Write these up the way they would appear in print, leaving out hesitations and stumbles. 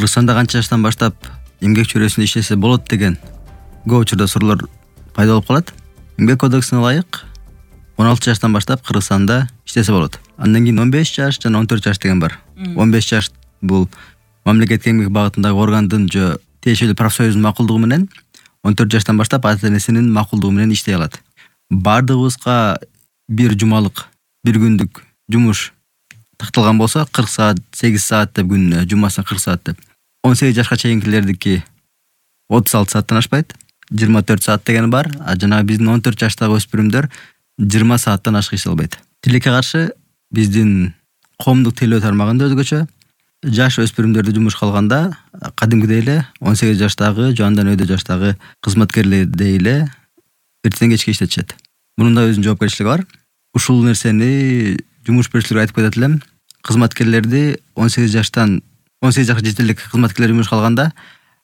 Кыргызстанда канча жаштан баштап эмгек чөйрөсүндө иштесе болот деген көп учурда суроолор пайда болуп калат. Эмгек кодексине ылайык 16 жаштан баштап Кыргызстанда иштесе болот. Андан кийин 15 жаш жана 14 жаш деген бар. 15 жаш бул мамлекеттик эмгек багытындагы органдын же тиешелүү профсоюздун макулдугу менен, 14 жаштан баштап ата-энесинин макулдугу менен иштей алат. Бардыгыбызга бир жумалык, бир күндүк жумуш такталган болсо 40 саат, 8 саат деп күнүнө, жумасына 40 саат деп. 18 жашка чейинкилердики 36 сааттан ашпайт, 24 саат деген бар. Жана биздин 14 жаштагы өспүрүмдөр 20 сааттан ашык иштей албайт. Тилекке каршы биздин коомдук тейлөө тармагында өзгөчө жаш өспүрүмдөрдү жумушка алганда кадимкидей эле 18 жаштагы же андан өйдө жаштагы кызматкерлердей эле эртеден кечке иштетишет. Мунун да өзүнүн жоопкерчилиги бар. Ушул нерсени жумуш берүүчүлөргө айтып кетет элем. Кызматкерлерди 18 жашка жетерлик кызматкерлер жумушка алганда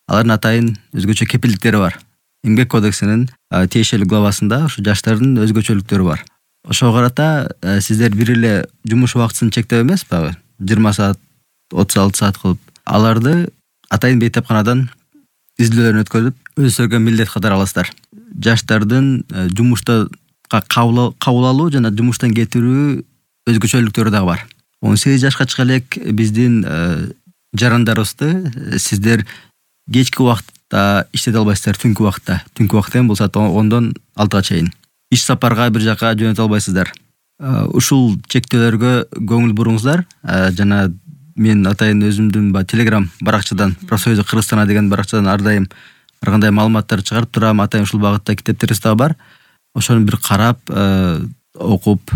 алардын атайын өзгөчө кепилдиктери бар. Эмгек кодексинин тиешелүү главасында ушу жаштардын өзгөчөлүктөрү бар. Ошого карата сиздер бир эле жумуш убактысын чектеп эмес багы 20 саат, 36 саат кылып аларды атайын бейтапканадан изилдөөлөрүн өткөрүп өзүңөргө милдет катары аласыздар. Жаштардын жумушта кабыл алуу жана жумуштан кетирүү өзгөчөлүктөрү дагы бар. 18 жашка чыга элек биздин жарандарыбызды сиздер кечки убакытта иштете албайсыздар, түнкү убакытта. Түнкү убакыт деген бул саат 10дон 6га чейин. Иш сапарга бир жака жөнөтө албайсыздар. Ушул чектөөлөргө көңүл буруңуздар. Жана мен атайын өзүмдүн Telegram баракчадан, профсоюзу Кыргызстана деген баракчадан ар дайым ар кандай маалыматтар чыгарып турам. Атайын ушул багытта китептерибиз дагы бар. Ошону бир карап, окуп,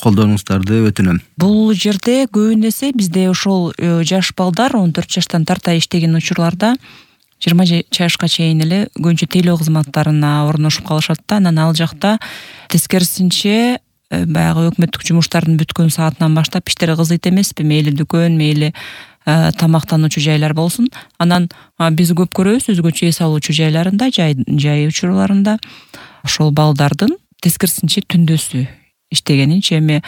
колдонуңуздарды өтүнөм. Бул жерде көбүн эсе бизде ошол жаш балдар 14 жаштан тарта иштеген учурларда 20 жашка чейин эле көбүнчө тейлөө кызматтарына орношуп калышат да. Анан ал жакта тескерисинче баягы өкмөттүк жумуштардын бүткөн саатынан баштап иштери кызыйт эмеспи, мейли дүкөн, мейли тамактануучу жайлар болсун. Анан биз көп көрөбүз өзгөчө эс алуучу жайларында, жай учурларында ошол балдардын тескерисинче түндөсү иштегенинчи эми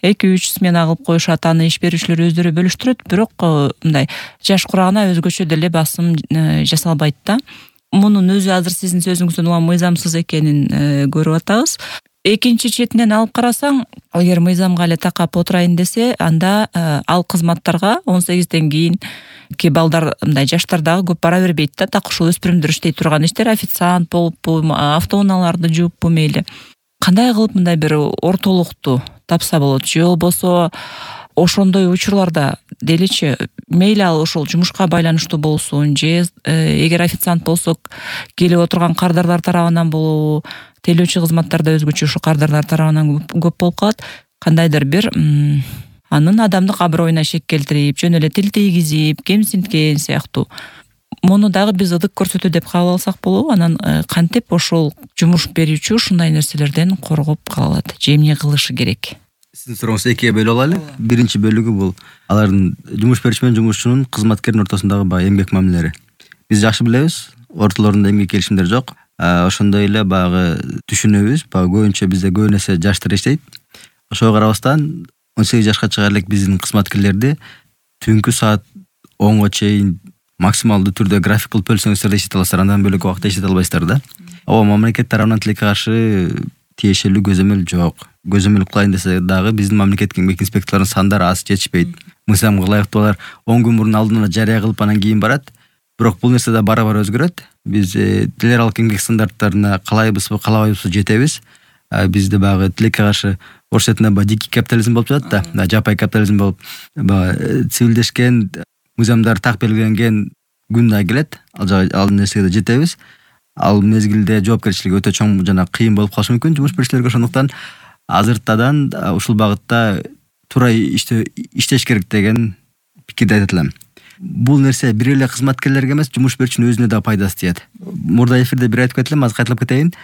2-3 смена кылып коюшат, аны иш берүүчүлөр өздөрү бөлүштүрөт, бирок мындай жаш курагына өзгөчө деле басым жасалбайт да. Мунун өзү азыр сиздин сөзүңүздөн улам мыйзамсыз экенин көрүп атабыз. Экинчи четинен алып карасаң, эгер мыйзамга эле такап отурайын десе, анда ал кызматтарга 18ден кийинки балдар, мындай жаштар дагы көп бара бербейт да. Так ушул өспүрүмдөр иштей турган иштер, официант болуппу, автоунааларды жууппу мейли. Кандай кылып мындай бир ортолукту тапса болот? Же болбосо ошондой учурларда деличи мейли ал ошол жумушка байланыштуу болсун, же эгер официант болсо келип отурган кардарлар тарабынан болобу, тейлөөчү кызматтарда өзгөчө ушу кардарлар тарабынан көп болуп калат. Кандайдыр бир анын адамдык аброюна шек келтирип, жөн эле тил тийгизип, кемсинткен сыяктуу. Муну дагы биз ыдык көрсөтүү деп кабыл алсак болобу? Анан кантип ошол жумуш берүүчү ушундай нерселерден коргоп кала алат? Же эмне кылышы керек? Сиздин сурооңузду экиге бөлүп алалы. Биринчи бөлүгү бул алардын жумуш берүүчү менен жумушчунун, кызматкердин ортосундагы баягы эмгек мамилелери. Биз жакшы билебиз, ортолорунда эмгек келишимдер жок. Ошондой эле баягы түшүнөбүз, баягы көбүнчө бизде көп нерсе жаштар иштейт. Ошого карабастан 18 жашка чыга элек биздин кызматкерлерди түнкү саат 10го чейин максималдуу түрдө график кылып бөлсөңүздөр да иштете аласыздар, андан бөлөк убакытта иштете албайсыздар да. Мамлекет тарабынан тилекке каршы тиешелүү көзөмөл жок. Көзөмөл кылайын десе дагы биздин мамлекеттик эмгек инспекторлорунун сандары аз, жетишпейт. Мыйзамга ылайыктуу алар 10 күн мурун алдын жарыя кылып анан кийин барат. Бирок бул нерсе да бара-бара өзгөрөт. Биз эл аралык эмгек стандарттарына каалайбызбы, каалабайбызбы жетебиз. Бизде баягы тилекке каршы орус этинде дикий капитализм болуп жатат да, жапай капитализм болуп, цивилдешкен мыйзамдар так белгиленген күн да келет. Ал нерсеге да жетебиз. Ал мезгилде жоопкерчилиги өтө чоң жана кыйын болуп калышы мүмкүн жумуш берүүчүлөргө. Ошондуктан азыртадан ушул багытта туура иштеш керек деген пикирди айтат элем. Бул нерсе бир эле кызматкерлерге эмес, жумуш берүүчүнүн өзүнө да пайдасы тиет. Мурда эфирде бир айтып кетилем, азыр кайталап кетейин.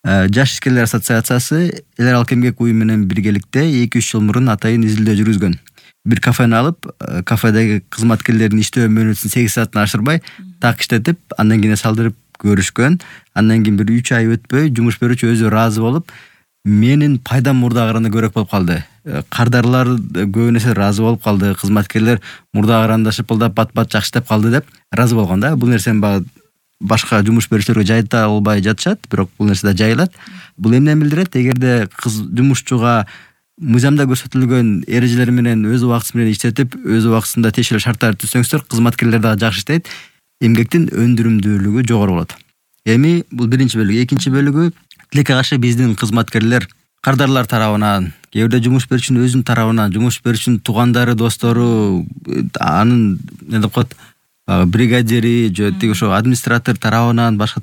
Жаш ишкерлер ассоциациясы эл аралык эмгек уюму менен биргеликте 2-3 жыл мурун атайын изилдөө жүргүзгөн. Бир кафени алып, кафедеги кызматкерлердин иштөө мөөнөтүн 8 сааттан ашырбай, так иштетип, андан кийин салдырып көрүшкөн. Андан кийин бир 3 ай өтпөй жумуш берүүчү өзү ыраазы болуп, менин пайдам мурдагы караганда көбүрөөк болуп калды. кардарлар көбүнө нерсе ыраазы болуп калды, кызматкерлер мурда карандашып ылдап бат жакшы деп калды деп ыраазы болгон да. Бул нерсени баягы башка жумуш берүүчүлөргө жайыта албай жатышат, бирок бул нерсе да жайылат. Бул эмнени билдирет? Эгерде жумушчуга мыйзамда көрсөтүлгөн эрежелер менен өз убактысы менен иштетип, өз убактысында тиешелүү шарттарды түзсөңүздөр, кызматкерлер дагы жакшы иштейт, эмгектин өндүрүмдүүлүгү жогору болот. Эми бул биринчи бөлүгү. Экинчи бөлүгү тилекке каршы биздин кызматкерлер кардарлар тарабынан, кээ бирде жумуш берүүчүнүн өзүнүн тарабынан, жумуш берүүчүнүн туугандары, достору, анын эмне деп коет, бригадири же тиги ошо администратор тарабынан, башка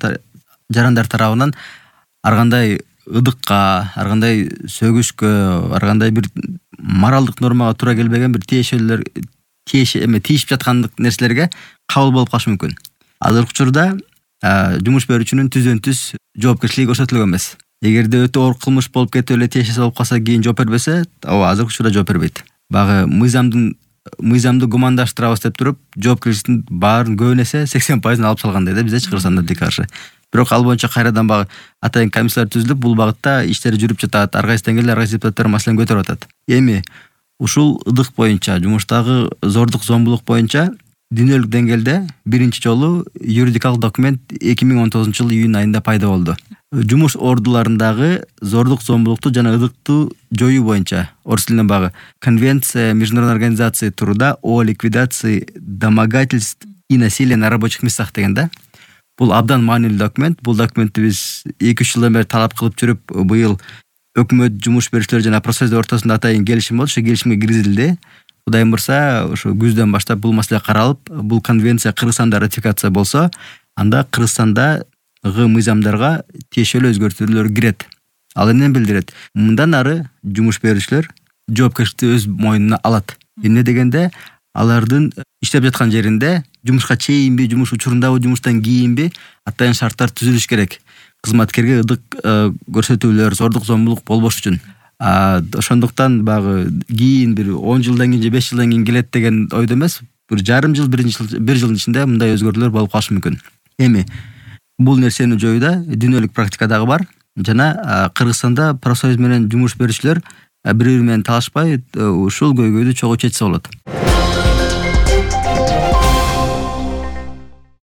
жарандар тарабынан ар кандай ыдыкка, ар кандай сөгүшкө, ар кандай бир моралдык нормага туура келбеген бир тиешип жаткандык нерселерге кабыл болуп калышы мүмкүн. Азыркы учурда жумуш берүүчүнүн түздөн түз жоопкерчилиги көрсөтүлгөн эмес. Эгерде өтө оор кылмыш болуп кетип эле тиешеси болуп калса, кийин жооп бербесе, ооба азыркы учурда жооп бербейт. Багы мыйзамды гумандаштырабыз деп туруп, жоопкерчиликтин баарын көбүн эсе 80% алып салгандай да бизде Кыргызстанда тилекке каршы. Бирок ал боюнча кайрадан багы атайын комиссиялар түзүлүп, бул багытта иштер жүрүп жатат. Ар кайсы деңгээлде ар кайсы депутаттар маселени көтөрүп атат. Эми ушул ыдык боюнча, жумуштагы зордук зомбулук боюнча дүйнөлүк деңгээлде биринчи жолу юридикалык документ 2019 июнь айында пайда болду. Жумуш ордуларындагы зордук зомбулукту жана ыдыктуу жоюу боюнча орус тилинен багы Конвенция Международной организации труда о ликвидации домогательств и насилия на рабочих местах деген да. Бул абдан маанилүү документ. Бул документти биз 2-3 жылдан бери талап кылып жүрүп, быйыл өкмөт, жумуш берүүчүлөр жана профсоюздар ортосунда атайын келишим болду. Ошо келишимге киргизилди. Кудайым бурса, ошо күздөн баштап бул маселе каралып, бул конвенция Кыргызстанда ратификация болсо, анда Кыргызстандагы мыйзамдарга тиешелүү өзгөртүүлөр кирет. Ал эмнени билдирет? Мындан ары жумуш берүүчүлөр жоопкерчиликти өз мойнуна алат. Эмне дегенде, алардын иштеп жаткан жеринде жумушка чейинби, жумуш учурундабы, жумуштан кийинби атайын шарттар түзүлүш керек. Кызматкерге ыдык көрсөтүүлөр, зордук зомбулук болбош үчүн. Ошондуктан багы кийин бир 10 жылдан кийин же 5 жылдан кийин келет деген ойдо эмес, бир жарым жыл, бир жылдын ичинде мындай өзгөрүүлөр болуп калышы мүмкүн. Эми бул нерсени жоюуда дүйнөлүк практика дагы бар жана Кыргызстанда профсоюз менен жумуш берүүчүлөр бири-бири менен талашпай ушул көйгөйдү чогуу чечсе болот.